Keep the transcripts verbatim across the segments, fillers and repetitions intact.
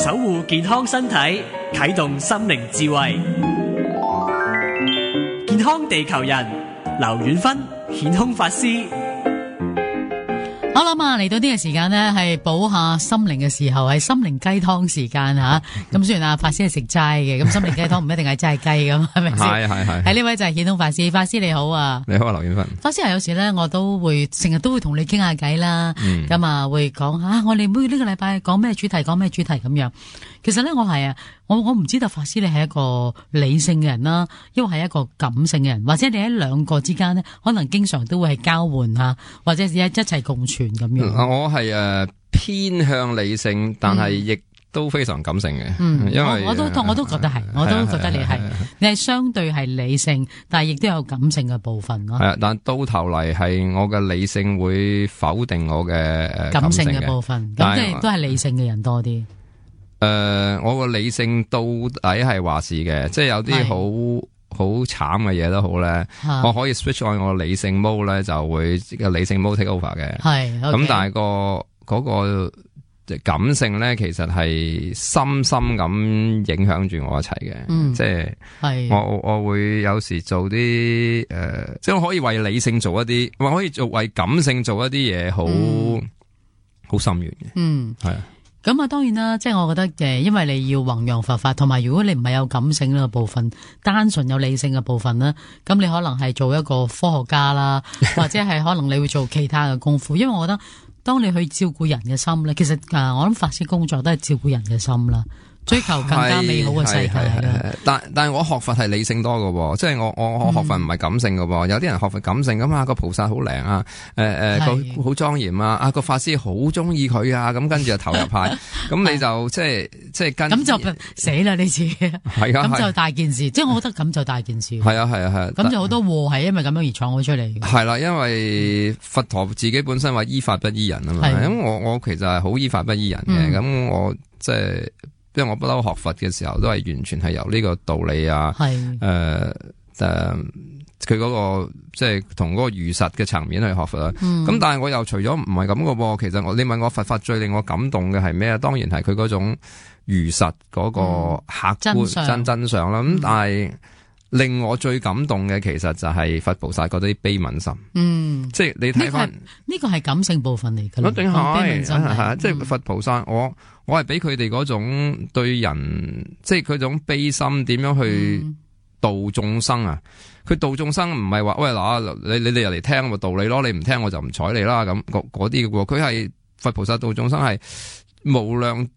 守護健康身體，啟動心靈智慧。健康地球人，劉遠芬顯空法師。好啦嘛，嚟到呢個時間呢，係補下心靈嘅時候，係心靈雞湯時間吓。咁雖然阿法師係食齋嘅，咁心靈雞湯唔一定係齋雞咁，係咪先？係係係。喺呢位就係顯空法師，法師你好啊！你好啊，劉遠芬。法師啊，有時咧我都會成日都會同你傾下偈啦，咁、嗯、啊會講啊，我哋每呢個禮拜講咩主題，講咩主題咁樣。其實咧，我係啊，我我唔知道法師你係一個理性嘅人啦，因為係一個感性嘅人，或者你喺兩個之間呢，可能經常都會係交換吓，或者一一齊共存咁樣。我係誒、呃、偏向理性，但係亦都非常感性嘅。嗯，因為我，我都我都覺得係，我都覺得你係，你係相對係理性，但係亦都有感性嘅部分咯。係啊，但到頭嚟係我嘅理性會否定我嘅誒感性嘅部分，咁即係都係理性嘅人多啲。誒、呃，我個理性到底係話事嘅，即係有啲好好慘嘅嘢都好咧，我可以 switch on 我理性 mode 咧，就會個理性 mode take over 嘅。係，咁、okay. 但係個嗰個感性咧，其實係深深咁影響住我一齊嘅、嗯。即係我我會有時做啲誒、呃，即係我可以為理性做一啲，我可以做為感性做一啲嘢，好好深遠嘅。嗯，係啊。咁啊，當然啦，即係我覺得誒，因為你要弘揚佛法，同埋如果你唔係有感性呢個部分，單純有理性嘅部分咧，咁你可能係做一個科學家啦，或者係可能你會做其他嘅功夫。因為我覺得，當你去照顧人嘅心咧，其實誒，我諗法師工作都係照顧人嘅心啦。追求更加美好嘅世界啦，但但係我學佛係理性多嘅，即係我我我學佛唔係感性嘅、嗯，有啲人學佛感性咁啊，個菩薩好靚啊，誒誒個好莊嚴啊，啊個法師好中意佢啊，咁跟住就投入派，咁你就即係即係跟咁就死啦呢次，係啊，咁就大件事，即係我覺得咁就大件事，係啊係啊係，咁就好多禍係因為咁樣而創咗出嚟，係啦，因為佛陀自己本身話依法不依人啊嘛，咁我我其實係好依法不依人嘅，咁、嗯、我即係。因為我不嬲學佛嘅時候，都係完全係由呢個道理啊，誒誒，佢、呃、嗰、呃那個即係同嗰個如實嘅層面去學佛啦。咁、嗯、但係我又除咗唔係咁嘅噃，其實我你問我佛法最令我感動嘅係咩啊？當然係佢嗰種如實嗰個客觀、嗯、真真相啦。咁、嗯、但係令我最感動嘅，其實就係佛菩薩嗰啲悲憫心。嗯，即係你睇翻呢個係感性部分嚟嘅。一定係係即係佛菩薩我。我係俾佢哋嗰種對人，即係佢種悲心，點樣去度眾生啊？佢、嗯、度眾生唔係話喂嗱，你你哋入嚟聽個道理咯，你唔聽我就唔睬你啦。咁嗰啲嘅喎，佢係佛菩薩度眾生係無量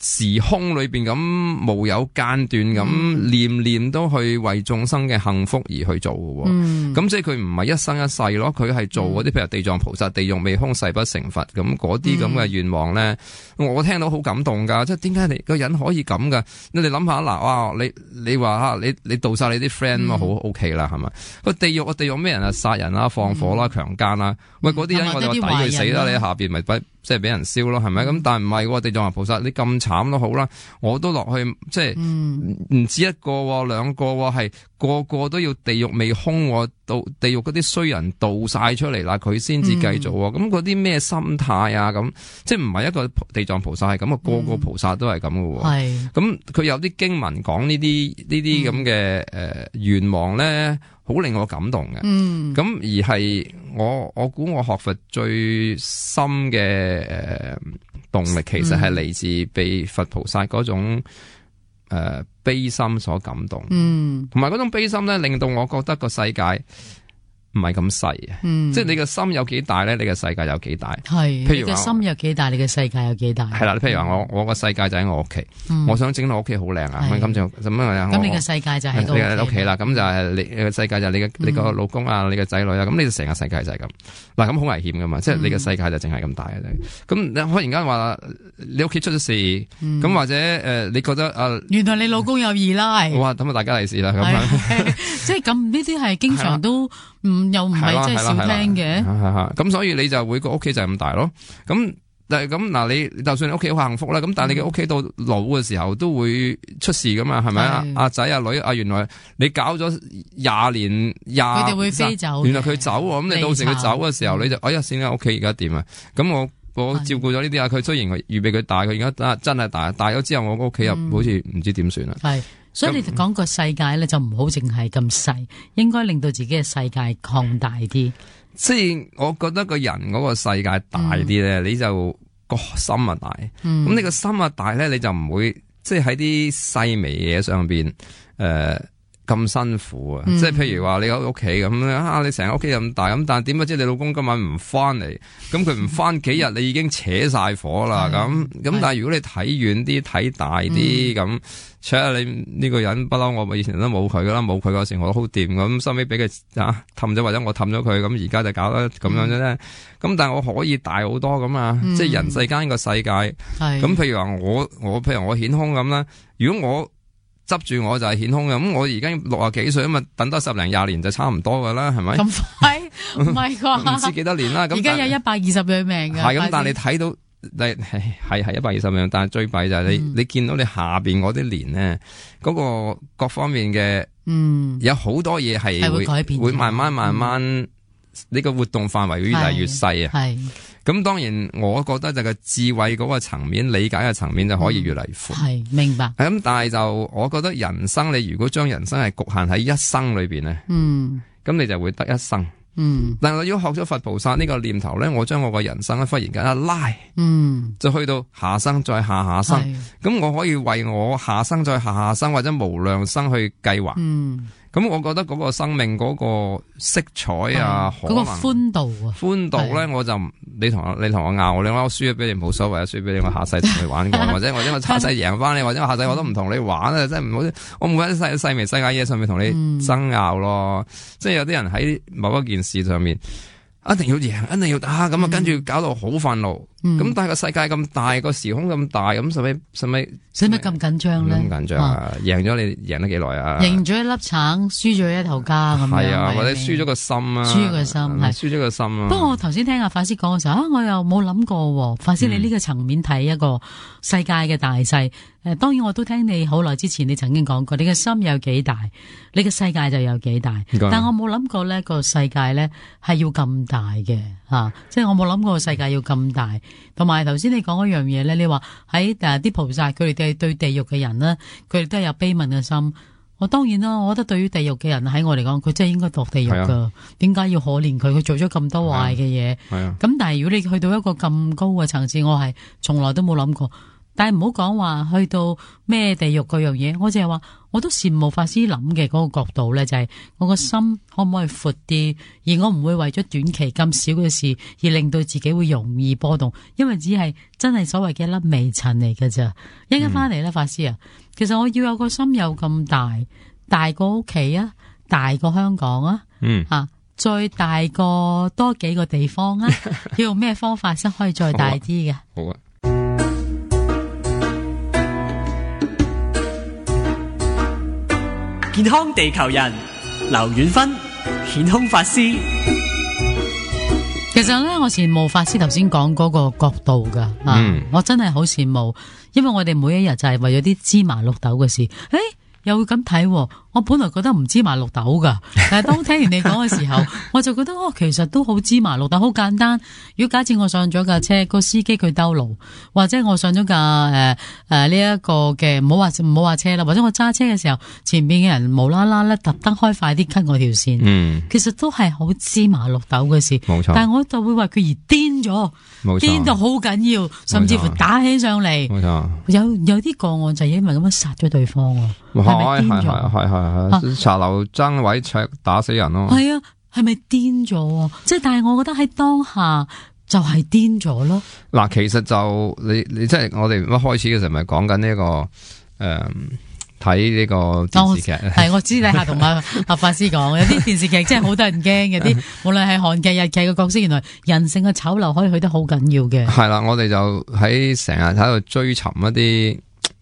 時空裏邊咁無有間斷咁、嗯、念念都去為眾生嘅幸福而去做嘅。咁、嗯、即係佢唔係一生一世咯，佢係做嗰啲譬如地藏菩薩地獄未空誓不成佛咁嗰啲咁嘅願望咧、嗯，我聽到好感動噶。即係點解你個人可以咁噶？你哋諗下嗱，哇！你你話吓你你度晒你啲 friend 嘛，好 OK 啦，係咪？個地獄個地獄咩人啊？殺人啦、放火啦、強姦啦，喂嗰啲人我哋話抵佢死啦，你喺下邊咪不即係俾人燒咯，係咪？咁、嗯、但係唔係喎，地藏菩薩你咁慘都好啦，我都落去即係唔、嗯、止一個兩個係個個都要地獄未空，到地獄嗰啲衰人導晒出嚟啦，佢先至繼續。咁嗰啲咩心態啊？咁即係唔係一個地藏菩薩係咁啊？個個菩薩都係咁嘅。係咁佢有啲經文講呢啲呢啲咁嘅誒願望咧，好令我感動嘅。嗯，咁而係我我估我學佛最深嘅誒、呃、動力，其實係嚟自被佛菩薩嗰種誒、呃、悲心所感動。嗯，同埋嗰種悲心咧，令到我覺得個世界唔係咁細啊，即係你個心有幾大咧，你個世界有幾大。係，譬如話你個心有幾大，你嘅世界有幾大。係啦，譬如話我我個世界就喺我屋企、嗯，我想整到屋企好靚啊，咁就咁樣啊。咁你嘅世界就喺個屋企啦，咁就係你嘅世界就係你嘅你個老公啊，你嘅仔女啊，咁你就成個世界就係咁。嗱，咁好危險噶嘛，即係你嘅世界就淨係咁大嘅啫。咁你忽然間話你屋企出咗事，咁、嗯、或者誒、呃、你覺得啊、呃，原來你老公有二奶，哇，咁啊大家利是啦，咁樣，即係咁呢啲係經常都唔。又唔係真係少聽嘅，咁所以你就會個屋企就係咁大咯。咁但係咁嗱，你就算你屋企好幸福啦，咁但係你嘅屋企到老嘅時候都會出事噶嘛，係咪啊？阿仔阿女啊，原來你搞咗廿年廿，佢哋會飛走，原來佢走，咁你到時佢走嘅時候，你就哎呀，先啦，屋企而家點啊？咁我我照顧咗呢啲啊。佢雖然預備佢大，佢而家真係大，大咗之後我個屋企又好似唔知點算啦。係、嗯，所以你講個世界咧就唔好淨係咁細，應該令到自己嘅世界擴大啲。即係我覺得個人嗰個世界大啲咧、嗯，你就個心啊大。咁、嗯、你個心啊大咧，你就唔會即係喺啲細微嘢上邊誒。呃咁辛苦啊！嗯、即係譬如話你喺屋企咁啊，你成個屋企咁大咁，但係點不知你老公今晚唔翻嚟，咁佢唔翻幾日，你已經扯晒火啦！咁咁，但係如果你睇遠啲、睇大啲咁，除咗你呢個人不嬲，我以前都冇佢噶啦，冇佢嗰時我都好掂咁，收尾俾佢啊氹咗，或者我氹咗佢，咁而家就搞得咁樣啫。咁、嗯、但係我可以大好多咁啊！嗯、即係人世間個世界，咁譬如話我我譬如我顯空咁啦，如果我執住我就係顯空嘅，咁我而家六啊幾歲，咁啊等多十零廿年就差唔多噶啦，係咪？咁快唔係啩？唔知幾多年啦。咁而家有一百二十歲命嘅。係咁，但係你睇到，你係係一百二十歲，但係最弊就係你、嗯、你見到你下邊嗰啲年咧，嗰、嗰個各方面嘅，嗯，有好多嘢係會會改變，會慢慢慢慢，呢、嗯、個活動範圍會越嚟越細啊。係。咁當然，我覺得就個智慧嗰個層面、理解嘅層面就可以越嚟越闊。係、嗯、明白。咁但係就我覺得人生，你如果將人生係局限喺一生裏邊咧，嗯，咁你就會得一生。嗯。但係我如果學咗佛菩薩呢個念頭咧，我將我個人生咧忽然間一拉，嗯，就去到下生再下下生，咁我可以為我下生再下下生或者無量生去計劃。嗯。咁我覺得嗰個生命嗰個色彩啊，嗰、那個寬度啊，寬度咧，我就你同我你同我拗，你話我輸咗俾你冇所謂啊，輸俾你我下世同你玩過，或者或者我下世贏翻你，或者我下世我都唔同你玩啊，真係唔好，我唔會喺細細微世界嘢上面同你爭拗咯，嗯、即係有啲人喺某一件事上面一定要贏，一定要打，咁啊跟住搞到好憤怒，咁、嗯、但係個世界咁大，個時空咁大，咁使咪使咪使乜咁緊張咧？咁緊張啊！贏咗你贏得幾耐啊？贏咗一粒橙，輸咗一頭家咁樣。係啊，或者輸咗個心啊，輸咗個心係輸咗個心啊。不過我頭先聽阿法師講嘅時候啊，我又冇諗過，法師你呢個層面睇一個世界嘅大細。誒、嗯，當然我都聽你好耐之前你曾經講過，你嘅心有幾大，你嘅世界就有幾大。但我冇諗過呢個世界咧係要咁大嘅吓、啊，即係我冇諗過個世界要咁大。同埋頭先你講嗰樣嘢咧，你話喺誒啲菩薩佢哋對對地獄嘅人咧，佢哋都係有悲憫嘅心。我當然啦，我覺得對於地獄嘅人喺我嚟講，佢真係應該墮地獄噶。點解、啊、要可憐佢？佢做咗咁多壞嘅嘢。係啊。咁、啊、但係如果你去到一個咁高嘅層次，我係從來都冇諗過。但係唔好講話去到咩地獄嗰樣嘢，我淨係話我都羨慕法師諗嘅嗰個角度咧，就係、是、我個心可唔可以闊啲，而我唔會為咗短期咁少嘅事而令到自己會容易波動，因為只係真係所謂嘅一粒微塵嚟㗎咋。一陣翻嚟咧，法師啊，其實我要有個心有咁大，大過屋企啊，大過香港啊，嗯啊，再大過多幾個地方啊，要用咩方法先可以再大啲嘅？好啊。健康地球人劉遠芬顯空法師，其實咧我羨慕法師頭先講嗰個角度噶、嗯啊，我真係好羨慕，因為我哋每一日就係為咗啲芝麻綠豆嘅事，誒又會咁睇，我本來覺得唔芝麻綠豆噶，但係當聽完你講嘅時候，我就覺得哦，其實都好芝麻綠豆，好簡單。如果假設我上咗架車，個司機佢兜路，或者我上咗架誒誒呢一個嘅，唔好話唔好話車啦，或者我揸車嘅時候，前邊嘅人無啦啦咧特登開快啲 cut 我條線，嗯，其實都係好芝麻綠豆嘅事，冇錯。但係我就會為佢而癲咗，癲到好緊要，甚至乎打起上嚟，冇錯。有有啲個案就係因為咁樣殺咗對方啊。係係係係係，茶樓爭位搶打死人咯。係啊，係咪癲咗？即係，但係我覺得喺當下就係癲咗咯。嗱，其實就你你即係我哋一開始嘅時候咪講緊呢個誒睇呢個電視劇。係、哦、我知你下同阿阿法師講，有啲電視劇真係好得人驚嘅，啲無論係韓劇、日劇嘅角色，原來人性嘅醜陋可以去得好緊要嘅。係啦，我哋就喺成日喺度追尋一啲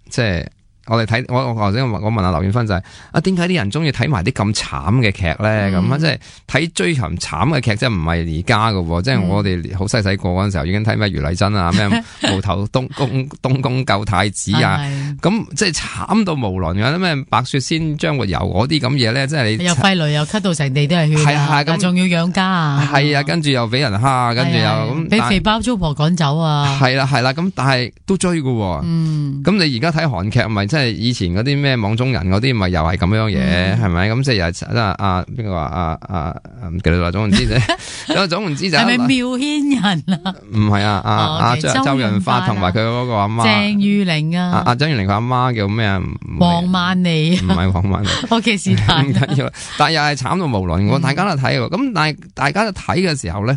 即係。我哋睇我我頭先我問阿劉遠芬就係、是、啊，點解啲人中意睇埋啲咁慘嘅劇咧？咁、嗯、啊，即係睇追尋慘嘅劇，即係唔係而家噶，即係我哋好細細個嗰陣時候已經睇咩余麗珍啊，咩無頭東宮東宮救太子啊，咁即係慘到無倫嘅，咩白雪仙張活游嗰啲咁嘢咧，即係你又肺癆又咳到成地都係血，係啊，咁仲要養家啊，係啊，跟住又俾人蝦，跟住又咁俾肥包租婆趕走啊，係啦係啦，咁但係都追㗎，嗯，咁你而家睇韓劇咪即係以前嗰啲咩網中人嗰啲咪又係咁樣嘢，係咪？咁即係又係啊啊邊個話啊啊唔記得啦，總言之啫，總言之就係咪妙仙人啊？唔係啊啊啊周周潤發同埋佢嗰個阿媽鄭裕玲啊，阿張裕玲佢阿媽叫咩啊？黃曼妮，唔係黃曼妮。O K 是但，唔緊要，但係又係慘到無倫喎，大家都睇喎。咁但係大家都睇嘅時候咧，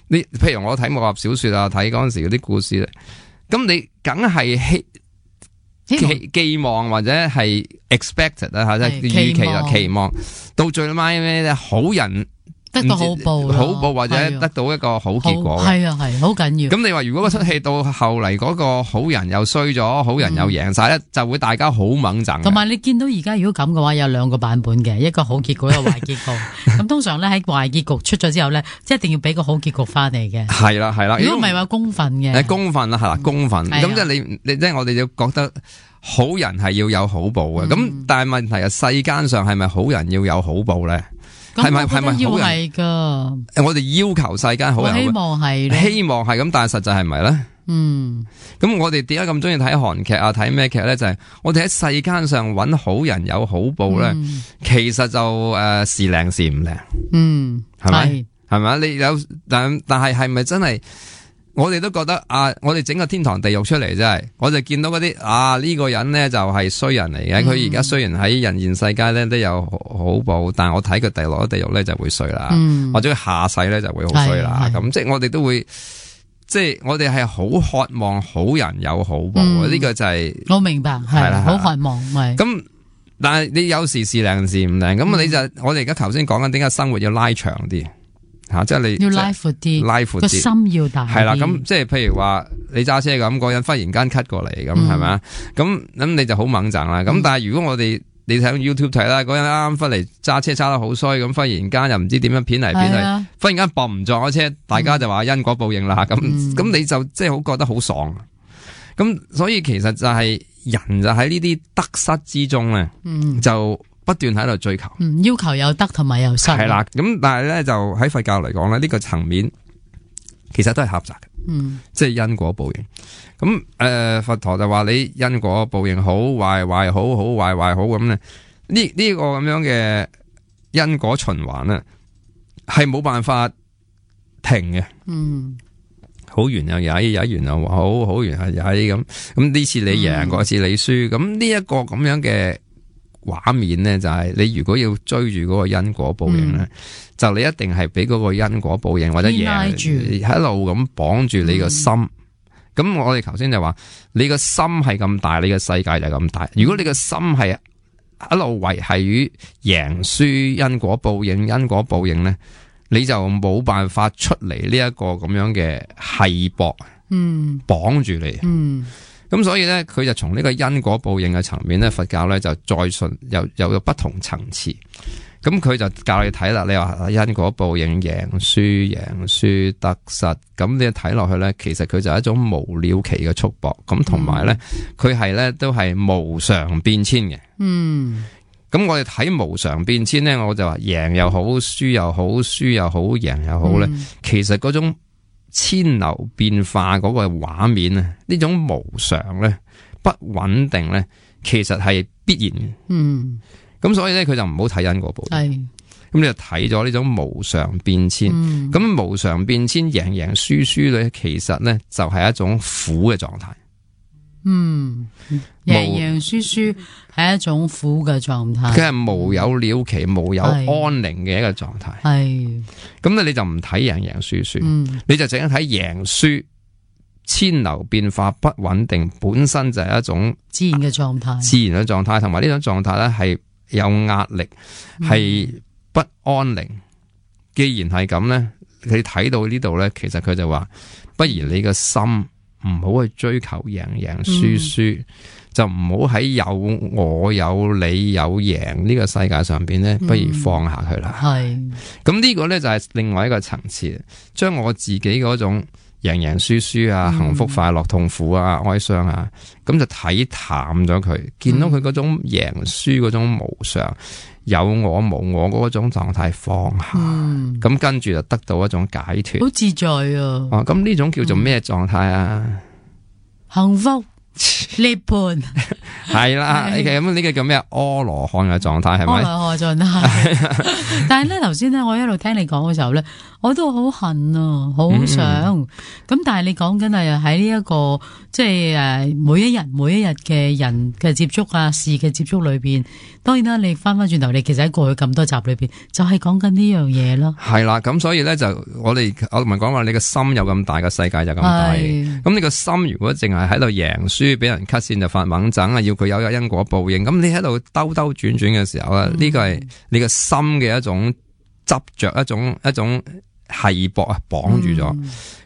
你譬如我睇武俠小說啊，睇嗰陣時嗰啲故事咧，咁你梗係希寄寄望或者係 expected 啊，即係預期啦，期望到最尾咩咧，好人得到好報，好報或者得到一個好結果，係啊係，好緊要。咁你話如果嗰出戲到後嚟嗰個好人又衰咗，好人又贏晒咧，就會大家好猛憎。同埋你見到而家如果咁嘅話，有兩個版本嘅，一個好結局，一個壞結局。咁通常咧喺壞結局出咗之後咧，即係一定要俾個好結局翻嚟嘅。係啦係啦，如果唔係話公憤嘅，誒公憤啦係啦公憤。咁即係你你即係我哋要覺得好人係要有好報嘅。咁但係問題係世間上係咪好人要有好報咧？係咪係咪好人？係噶，我哋要求世間好人，希望係，希望係咁，但係實際係咪咧？嗯，咁我哋點解咁中意睇韓劇啊？睇咩劇咧？就係、是、我哋喺世間上揾好人有好報咧，嗯、其實就誒時靈時唔靈，嗯，係咪？係咪？你有但但係係咪真係？我哋都覺得啊，我哋整個天堂地獄出嚟真係，我就見到嗰啲啊呢、這個人咧就係衰人嚟嘅。佢而家雖然喺人現世界咧都有好報，但係我睇佢地落咗地獄咧就會衰啦，嗯、或者佢下世咧就會好衰啦。咁即係我哋都會，即係我哋係好渴望好人有好報。呢、嗯、個就係、是、我明白，係啦，好渴望係。咁但係你有時時靈時唔靈，咁、嗯、你就我哋而家頭先講緊點解生活要拉長啲。吓、啊，即係你要拉闊啲，拉闊啲，個心要大。係啦，咁即係譬如話你揸車咁，嗰人忽然間 cut 過嚟，咁係咪啊？咁咁你就好猛憎啦。咁、嗯、但係如果我哋你睇 YouTube 睇啦，嗰人啱啱忽嚟揸車揸得好衰，咁忽然間又唔知點樣片嚟片去，啊、忽然間搏唔撞咗車，大家就話因果報應啦。咁咁、嗯、你就即係好覺得好爽。咁所以其實就係人就喺呢啲得失之中咧，嗯、就。不斷喺度追求，嗯，要求有得同埋有失，係啦。咁但係咧，就喺佛教嚟講咧，呢、這個層面其實都係狹窄嘅，嗯，即係因果報應。咁誒、呃，佛陀就話你因果報應好壞壞好好壞壞好咁咧，呢呢、這個咁樣嘅因果循環咧，係冇辦法停嘅，嗯，好完又曳，曳完又好，好完係曳咁。咁呢次你贏，嗰、嗯、次你輸，咁呢一個咁樣嘅。畫面咧就係你如果要追住嗰個因果報應咧，嗯、就你一定係俾嗰個因果報應或者贏一路咁綁住你個心。咁、嗯、我哋頭先就話你個心係咁大，你個世界就咁大。如果你個心係一路維繫於贏輸因果報應，因果報應咧，你就冇辦法出嚟呢一個咁樣嘅繫搏，嗯，綁住你，嗯。咁所以咧，佢就從呢個因果報應嘅層面咧，佛教咧就再信有有有不同層次。咁佢就教你睇啦，你話因果報應贏輸贏輸得失，咁你睇落去咧，其實佢就係一種無了期嘅束縛。咁同埋咧，佢係咧都係無常變遷嘅。嗯。咁我哋睇無常變遷咧，我就話贏又好，輸又好，輸又好，贏又好咧，嗯、其實嗰種。千流變化嗰個畫面啊，呢種無常咧、不穩定咧，其實係必然嘅。嗯，咁所以咧，佢就唔好睇因果報應。係，咁你就睇咗呢種無常變遷。咁、嗯、無常變遷贏贏輸輸咧，其實咧就係一種苦嘅狀態。嗯，贏贏輸輸係一種苦嘅狀態，佢係無有了期、無有安寧嘅一個狀態。係，咁咧你就唔睇贏贏輸輸，嗯、你就淨係睇贏輸，千流變化不穩定，本身就係一種自然嘅狀態，自然嘅狀態，同埋呢種狀態咧係有壓力，係、嗯、不安寧。既然係咁咧，你睇到呢度咧，其實佢就話，不如你個心。唔好去追求贏贏輸輸，嗯、就唔好喺有我有你有贏呢個世界上邊咧，不如放下佢啦。係、嗯，咁呢個咧就係另外一個層次，將我自己嗰種贏贏輸輸啊，幸福快樂痛苦啊，哀傷啊，咁就睇淡咗佢，見到佢嗰種贏輸嗰種無常，有我無我嗰種狀態放下，咁、嗯、跟住就得到一種解脫，好自在啊！哦，咁呢種叫做咩狀態啊？幸福。涅槃係啦，咁呢個叫咩？阿羅漢嘅狀態係咪？阿羅漢狀態。但係咧，頭先咧，我一路聽你講嘅時候咧，我都好恨啊，好想。咁、嗯、但係你講緊係喺呢一個即係誒，每一日每一日嘅人嘅接觸啊，事嘅接觸裏邊，當然啦，你翻翻轉頭，你其實喺過去咁多集裏邊，就係講緊呢樣嘢咯。係啦，咁所以咧就我哋我唔係講話你個心有咁大，個世界就咁大。咁你個心如果淨係喺度贏輸，俾人 cut 線就發猛整啊，要佢有有因果報應。咁你喺度兜兜轉轉嘅時候咧，呢個係你個心嘅一種執着，一種一種繫縛啊，綁住咗。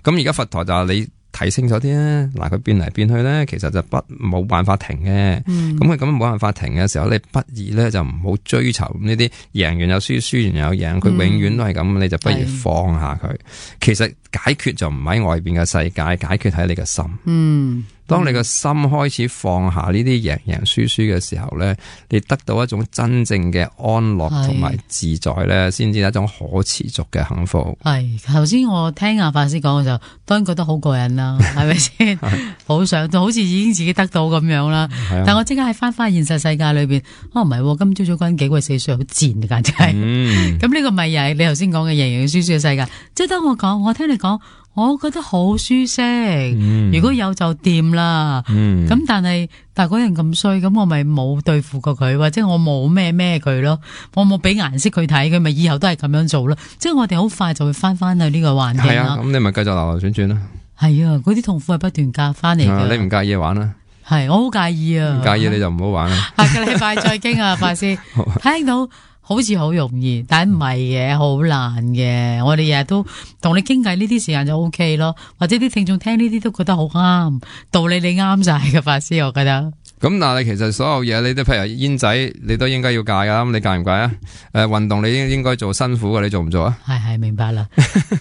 咁而家佛陀就話你睇清楚啲啊，嗱，佢變嚟變去咧，其實就不冇辦法停嘅。咁佢咁冇辦法停嘅時候，你不如咧就唔好追求呢啲贏完有輸，輸完有贏，佢永遠都係咁，嗯、你就不如放下佢。其實解決就唔喺外邊嘅世界，解決喺你嘅心。嗯。當你個心開始放下呢啲贏贏輸輸嘅時候咧，你得到一種真正嘅安樂同埋自在咧，先至係一種可持續嘅幸福。係頭先我聽阿法師講嘅時候，當然覺得好過癮啦，係咪先？好想就好似已經自己得到咁樣啦。但我即刻喺翻翻現實世界裏邊，哦唔係，今朝早嗰陣幾鬼死衰，好賤簡直係。咁呢、嗯、個咪又係你頭先講嘅贏贏輸輸嘅世界。即係當我講，我聽你講。我覺得好舒適，嗯、如果有就掂啦。咁、嗯、但係但係嗰人咁衰，咁我咪冇對付過佢，或者我冇咩咩佢咯，我冇俾顏色佢睇，佢咪以後都係咁樣做咯。即係我哋好快就會翻翻去呢個環境啦。係啊，咁你咪繼續流流轉轉啦。係啊，嗰啲痛苦係不斷夾翻嚟嘅。你唔介意玩啦？係，我好介意啊。唔介意你就唔好玩啦。下個禮拜再傾啊，法師聽到。好似好容易，但係唔係嘅，好難嘅。我哋日日都同你傾偈，呢啲時間就 O K 咯。或者啲聽眾聽呢啲都覺得好啱，道理你啱晒嘅，法師，我覺得。咁但係其實所有嘢，你都譬如煙仔，你都應該要戒噶。咁你戒唔戒啊？誒、呃，運動你應應該做辛苦嘅，你做唔做啊？係係明白啦。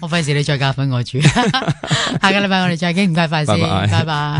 我費事你再教訓我住。下個禮拜我哋再傾，唔該，法師，拜拜。